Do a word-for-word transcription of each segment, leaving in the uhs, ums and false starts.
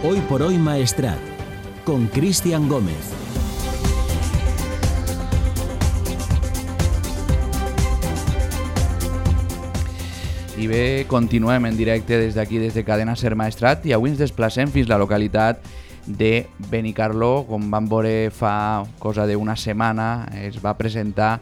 Hoy por Hoy Maestrat, con Cristian Gómez. I bé, continuem en directe des d'aquí, des de Cadena Ser Maestrat, i avui ens desplacem fins a la localitat de Benicarló. Com vam veure fa cosa d'una setmana, es va presentar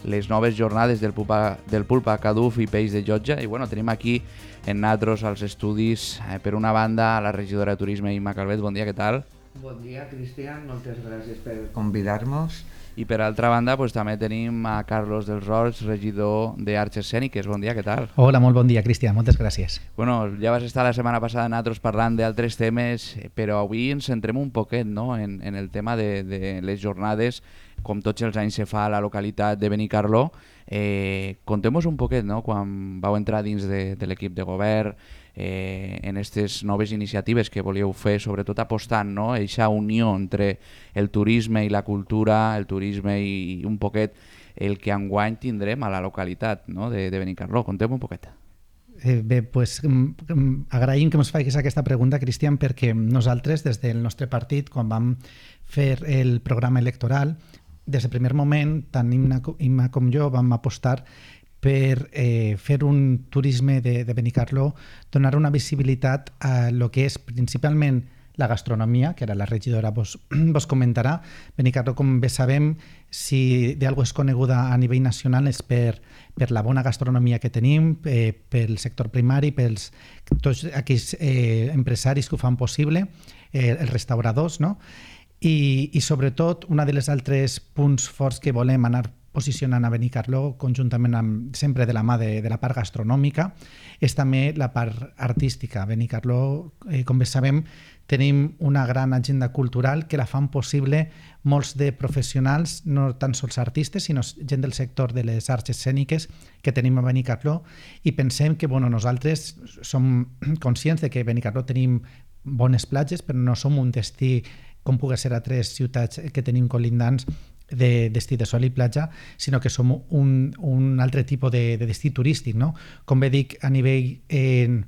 les noves jornades del Pulpa, del Pulpa Caduf i Peix de Llotja, i bueno, tenim aquí en nosaltres als estudis, eh, per una banda, a la regidora de Turisme, Imma Calvet. Bon dia, què tal? Bon dia, Cristian, moltes gràcies per convidar-nos. I per altra banda, pues, també tenim a Carlos dels Rols, regidor d'Arts Escèniques. Bon dia, què tal? Hola, molt bon dia, Cristian, moltes gràcies. Bueno, ja vas estar la setmana passada nosaltres parlant d'altres temes, però avui ens centrem un poquet, no?, en, en el tema de, de les jornades, com tots els anys se fa a la localitat de Benicarló. Eh, Contem-nos un poquet, no?, quan vau entrar dins de, de l'equip de govern, eh, en aquestes noves iniciatives que volíeu fer, sobretot apostant, no?, eixa unió entre el turisme i la cultura, el turisme i, i un poquet el que enguany tindrem a la localitat, no?, de, de Benicarló. Contem un poquet. Eh, bé, pues, agraïm que ens facis aquesta pregunta, Cristian, perquè nosaltres, des del nostre partit, quan vam fer el programa electoral, des del primer moment, tant Imma com jo vam apostar per eh, fer un turisme de, de Benicarló, donar una visibilitat a lo que és principalment la gastronomia, que ara la regidora vos, vos comentarà. Benicarló, com bé sabem, si d'algú és coneguda a nivell nacional és per, per la bona gastronomia que tenim, eh, pel sector primari, pels tots aquells eh, empresaris que ho fan possible, eh, els restauradors, no? I, i sobretot, un dels altres punts forts que volem anar posicionant a Benicarló, conjuntament amb, sempre de la mà de, de la part gastronòmica, és també la part artística. A Benicarló, eh, com bé sabem, tenim una gran agenda cultural que la fan possible molts de professionals, no tan sols artistes, sinó gent del sector de les arts escèniques que tenim a Benicarló, i pensem que bueno, nosaltres som conscients de que a Benicarló tenim bones platges, però no som un destí com pugui ser a tres ciutats que tenim colindants de destí de sol i platja, sinó que som un, un altre tipus de, de destí turístic, no? Com bé dic, a nivell eh,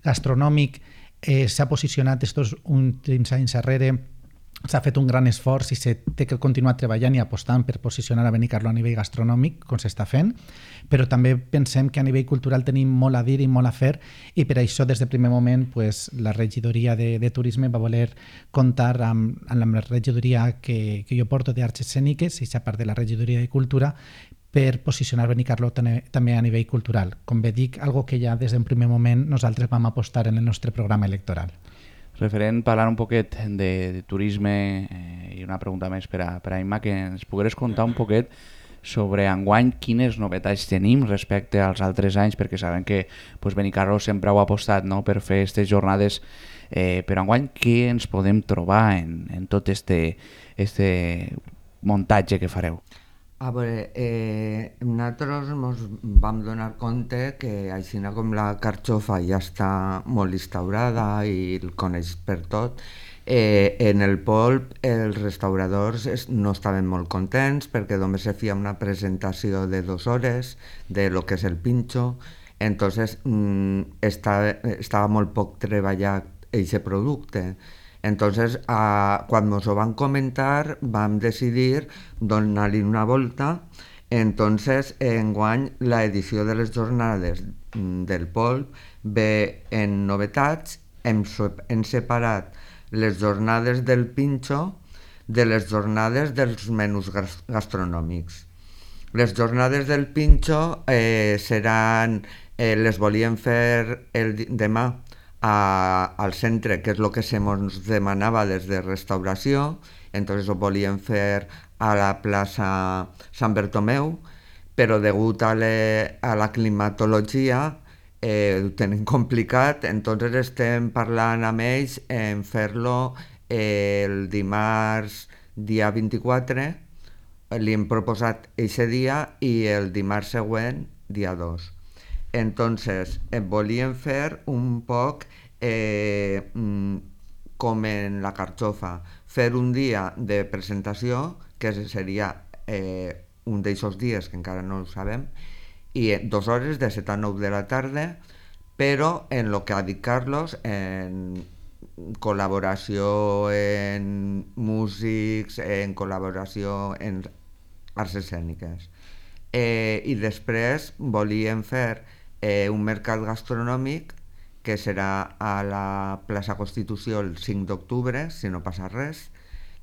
gastronòmic eh, s'ha posicionat estos últims anys darrere, s'ha fet un gran esforç i s'ha de continuar treballant i apostant per posicionar a Benicarló a nivell gastronòmic, com s'està fent, però també pensem que a nivell cultural tenim molt a dir i molt a fer, i per això des del primer moment pues, la regidoria de, de Turisme va voler comptar amb, amb la regidoria que, que jo porto d'Arts Escèniques, i a part de la regidoria de Cultura, per posicionar Benicarló també a nivell cultural. Com bé dic, algo que ja des del primer moment nosaltres vam apostar en el nostre programa electoral. Referent, parlant un poquet de, de turisme, eh, i una pregunta més per a, per a Imma, que ens pogueres contar un poquet sobre enguany quines novetats tenim respecte als altres anys, perquè sabem que pues, Benicarló sempre ho ha apostat, no?, per fer aquestes jornades, eh, però enguany què ens podem trobar en, en tot este, este muntatge que fareu? A veure, eh, nosaltres ens vam donar compte que així com la carxofa ja està molt instaurada i el coneix per tot, eh, en el polp els restauradors no estaven molt contents perquè només se feia una presentació de dues hores de lo que és el pinxo, entonces mm, estava, estava molt poc treballat aquest producte. Entonces, a, quan ens ho van comentar, vam decidir donar-li una volta. Entonces, enguany, l'edició de les jornades del polp ve en novetats. Hem, hem separat les jornades del pinxo de les jornades dels menús gastronòmics. Les jornades del pinxo eh, seran, eh, les volíem fer el, demà, A, al centre, que és el que se ens demanava des de restauració, entonces ho volíem fer a la plaça Sant Bertomeu, però degut a, le, a la climatologia eh, ho tenim complicat, entonces estem parlant amb ells en fer-lo eh, el dimarts dia vint-i-quatre, li hem proposat aquest dia, i el dimarts següent, dia dos. Entonces, eh, volíem fer un poc eh, com en la carxofa, fer un dia de presentació, que seria eh, un d'aquests dies, que encara no ho sabem, i dues hores de set a nou de la tarda, però en el que ha dit Carlos, en col·laboració en músics, en col·laboració en arts escèniques. Eh, I després volíem fer eh, un mercat gastronòmic que serà a la plaça Constitució el cinc d'octubre, si no passa res,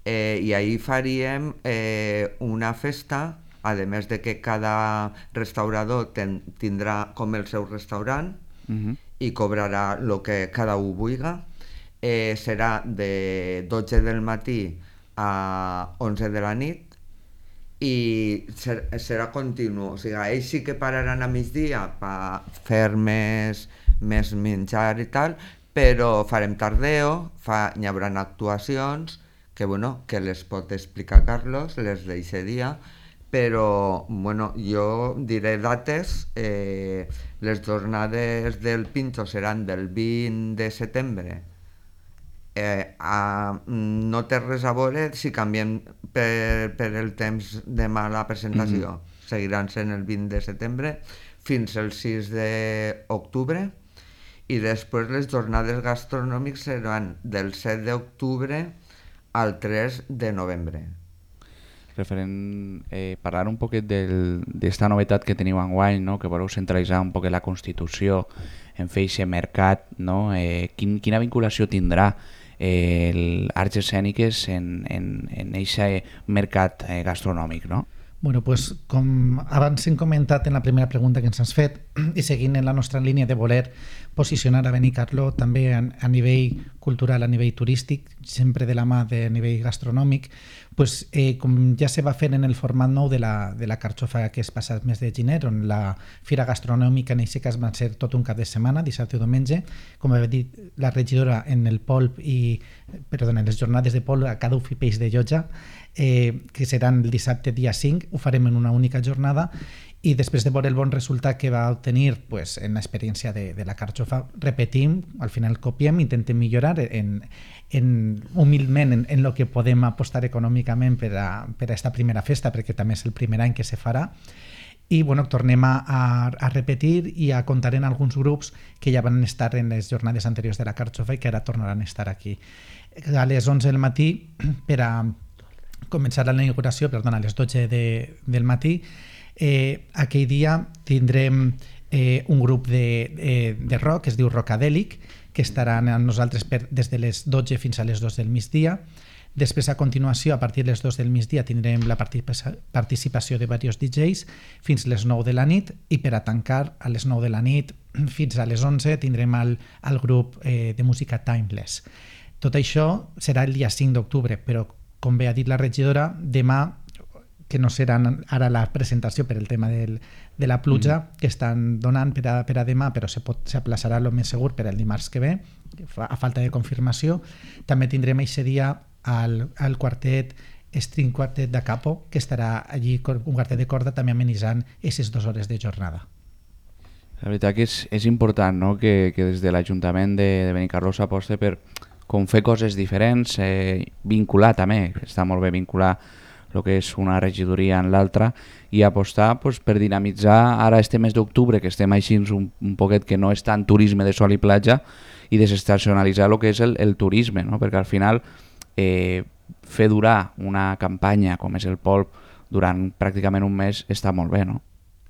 eh, i ahir faríem eh, una festa, a més de que cada restaurador ten, tindrà com el seu restaurant uh-huh. i cobrarà el que cada un vulgui. Eh, serà de dotze del matí a onze de la nit i ser, serà continu, o sigui, ells sí que pararan a migdia per fer més, més menjar i tal, però farem tardeo, fa, hi haurà actuacions que, bueno, que les pot explicar Carlos, les d'aquest dia, però bueno, jo diré dates. Eh, les jornades del Pincho seran del vint de setembre. Eh, a, no té res a veure si canviem per, per el temps demà la presentació. Mm-hmm. Seguiran sent el vint de setembre fins el sis d'octubre i després les jornades gastronòmiques seran del set d'octubre al tres de novembre. Referent, eh, parlar un poquet d'esta novetat que teniu enguany, no? Que voleu centralitzar un poquet la Constitució en fer aquest mercat, no? Eh, quin, quina vinculació tindrà eh, el arts escèniques en aquest mercat eh, gastronòmic, no? Bueno, pues, com abans hem comentat en la primera pregunta que ens has fet i seguint en la nostra línia de voler posicionar a Benicarló també a, a nivell cultural, a nivell turístic, sempre de la mà de nivell gastronòmic, pues, eh, com ja se va fer en el format nou de la, de la carxofa que és passat mes de gener, on la fira gastronòmica en aquest cas va ser tot un cap de setmana, dissabte i diumenge, com havia dit la regidora en el polp i, perdó, en les jornades de polp a cada uf i peix de Llotja, eh, que seran el dissabte dia cinc, ho farem en una única jornada i després de veure el bon resultat que va obtenir pues, en l'experiència de, de la carxofa, repetim, al final copiem, intentem millorar en, en, humilment en, en el que podem apostar econòmicament per a, per a esta primera festa, perquè també és el primer any que se farà. I bueno, tornem a, a, a repetir i a comptar en alguns grups que ja van estar en les jornades anteriors de la carxofa i que ara tornaran a estar aquí. A les onze del matí per a començar la inauguració, perdona, a les dotze de, del matí. Eh, aquell dia tindrem eh, un grup de, eh, de rock que es diu Rockadèlic, que estaran amb nosaltres per, des de les dotze fins a les dos del migdia. Després, a continuació, a partir de les dos del migdia, tindrem la participació de diversos D Js fins les nou de la nit i per a tancar a les nou de la nit fins a les onze tindrem el, el grup eh, de música Timeless. Tot això serà el dia cinc d'octubre, però com bé ha dit la regidora, demà, que no serà ara la presentació per el tema del, de la pluja mm. que estan donant per a, per a demà, però s'aplaçarà el més segur per el dimarts que ve, a falta de confirmació. També tindrem aquest dia al, al quartet String Quartet de Capo, que estarà allí, un quartet de corda, també amenitzant aquestes dues hores de jornada. La veritat que és, és important, no? que, que des de l'Ajuntament de, de Benicarló s'aposta per com fer coses diferents, eh, vincular també, està molt bé vincular el que és una regidoria en l'altra i apostar pues, per dinamitzar ara este mes d'octubre, que estem així un, un poquet que no és tant turisme de sol i platja, i desestacionalitzar el que és el, el turisme, no? Perquè al final eh, fer durar una campanya com és el polp durant pràcticament un mes està molt bé, no?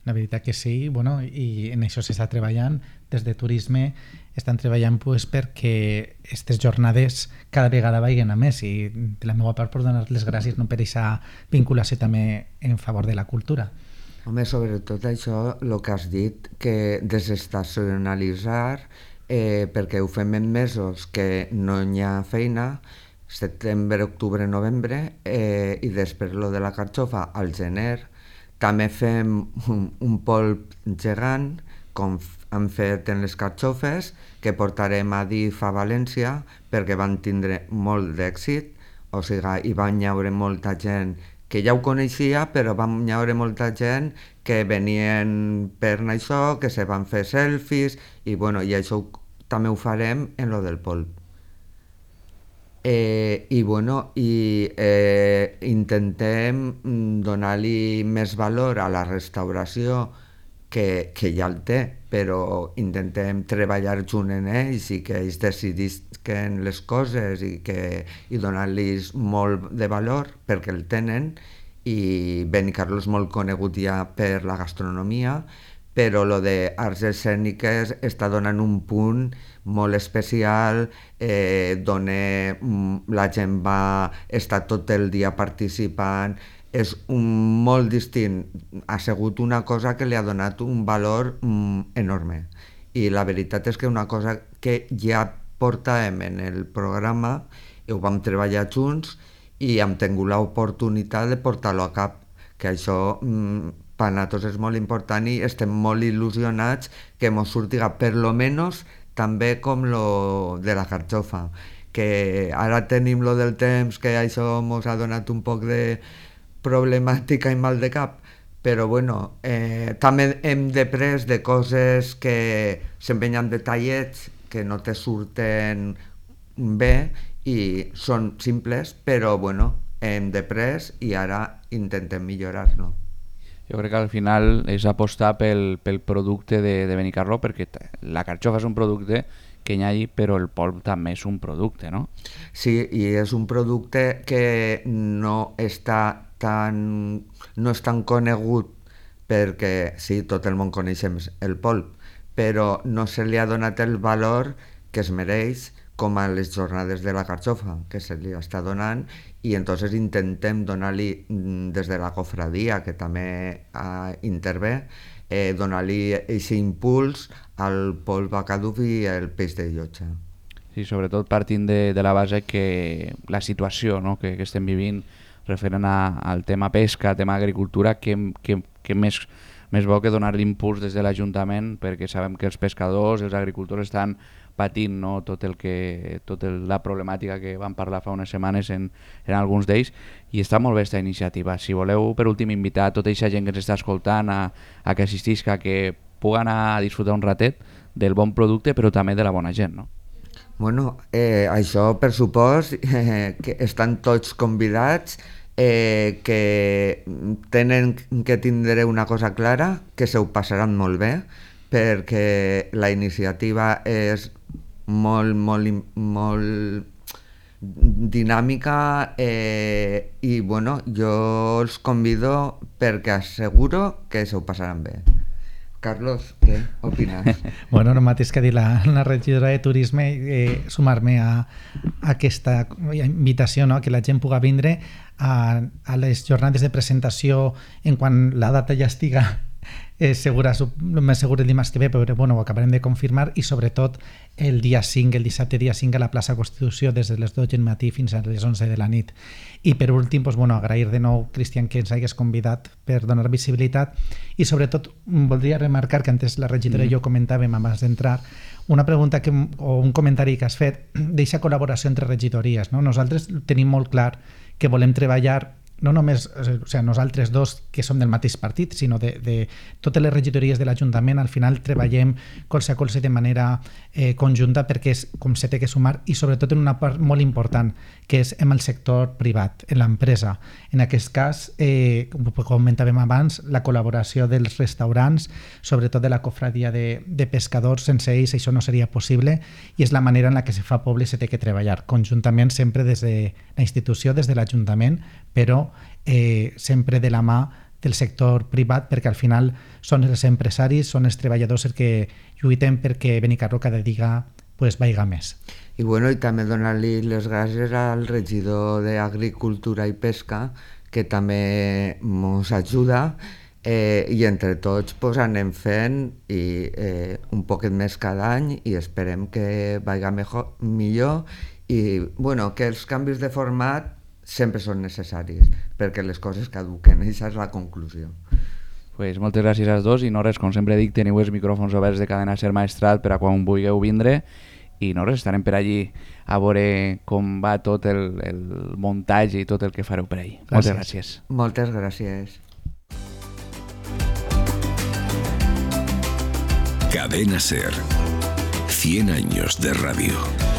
La veritat que sí, bueno, i en això s'està treballant. Des de turisme estan treballant pues, perquè aquestes jornades cada vegada vagin a més i de la meva part per donar les gràcies no per aquesta vinculació també en favor de la cultura. Home, sobretot això, el que has dit, que desestacionalitzar, eh, perquè ho fem en mesos que no hi ha feina, setembre, octubre, novembre, eh, i després lo de la carxofa al gener. També fem un, un polp gegant, com han fet en les carxofes, que portarem a D I F a València, perquè van tindre molt d'èxit, o sigui, hi van haure molta gent que ja ho coneixia, però van haure molta gent que venien per això, que se van fer selfies, i, bueno, i això ho, també ho farem en lo del polp. Eh, i bueno, i eh, intentem donar-li més valor a la restauració que, que ja el té, però intentem treballar junt en ells i que ells decidisquen les coses i, que, i donar-los molt de valor perquè el tenen, i Benicarló és molt conegut ja per la gastronomia, però lo de arts escèniques està donant un punt molt especial, eh, dona, la gent va estar tot el dia participant, és un, molt distint, ha sigut una cosa que li ha donat un valor mm, enorme, i la veritat és que una cosa que ja portàvem en el programa, i ho vam treballar junts, i hem tingut l'oportunitat de portar-lo a cap, que això mm, per nosaltres és molt important i estem molt il·lusionats que mos surtiga per lo menos també com lo de la carxofa, que ara tenim lo del temps, que això mos ha donat un poc de problemàtica i mal de cap, però bueno, eh, també hem després de coses que s'empenyen detallets que no te surten bé i són simples, però bueno, hem després i ara intentem millorar-lo. Jo crec que al final és apostar pel, pel producte de, de Benicarló, perquè la carxofa és un producte que hi ha allí, però el polp també és un producte, no? Sí, i és un producte que no està tan, no és tan conegut, perquè sí, tot el món coneixem el polp, però no se li ha donat el valor que es mereix, com a les jornades de la carxofa, que se li està donant, i entonces intentem donar-li, des de la cofradia, que també uh, intervé, eh, donar-li aquest impuls al polp bacaduf i el peix de llotja. Sí, sobretot partint de, de la base que la situació, no?, que, que estem vivint referent a, al tema pesca, tema agricultura, que, que, que més, més bo que donar-li impuls des de l'Ajuntament, perquè sabem que els pescadors, els agricultors estan patint, no?, tot el que, tot el, la problemàtica que vam parlar fa unes setmanes en, en alguns d'ells, i està molt bé aquesta iniciativa. Si voleu, per últim, invitar a tota aquesta gent que ens està escoltant a, a que assistisca, que pugui anar a disfrutar un ratet del bon producte, però també de la bona gent, no? Bueno, eh, això per supost, eh, que estan tots convidats, eh, que tenen que tindre una cosa clara, que se ho passaran molt bé, perquè la iniciativa és molt, molt, molt dinàmica, eh, i bueno, jo els convido perquè asseguro que se ho passaran bé. Carlos, què opines? Bueno, el mateix que ha dit la, la regidora de Turisme, eh, sumar-me a, a aquesta invitació, no?, que la gent pugui vindre a, a les jornades de presentació en quan la data ja estiga eh, segura, més segur el dimarts que ve, però bueno, ho acabarem de confirmar, i sobretot el dia cinc, el dissabte dia cinc a la plaça Constitució, des de les dotze del matí fins a les onze de la nit. I per últim, doncs, bueno, agrair de nou, Cristian, que ens hagués convidat per donar visibilitat, i sobretot voldria remarcar que antes la regidora mm. i jo comentàvem abans d'entrar una pregunta que, o un comentari que has fet d'eixa col·laboració entre regidories, no? Nosaltres tenim molt clar que volem treballar no només, o sigui, nosaltres dos que som del mateix partit, sinó de, de totes les regidories de l'Ajuntament. Al final treballem colze a colze de manera eh, conjunta, perquè és com se té que sumar, i sobretot en una part molt important, que és en el sector privat, en l'empresa. En aquest cas, eh, com comentàvem abans, la col·laboració dels restaurants, sobretot de la cofradia de, de pescadors, sense ells això no seria possible, i és la manera en la que se fa poble i se té que treballar conjuntament, sempre des de la institució, des de l'Ajuntament, però eh, sempre de la mà del sector privat, perquè al final són els empresaris, són els treballadors els que lluiten perquè Benicarló cada dia pues, vaiga més. I, bueno, i també donar-li les gràcies al regidor d'Agricultura i Pesca, que també ens ajuda, eh, i entre tots pues, anem fent i, eh, un poquet més cada any, i esperem que vaiga mejor, millor, i bueno, que els canvis de format sempre són necessaris, perquè les coses caduquen, i aquesta és la conclusió. Pues moltes gràcies als dos, i no res, com sempre dic, teniu els micròfons oberts de Cadena Ser Maestrat per a quan vulgueu vindre, i no res, estarem per allí a veure com va tot el, el muntatge i tot el que fareu per allí. Gràcies. Moltes gràcies. Moltes gràcies. Cadena Ser, cien años de radio.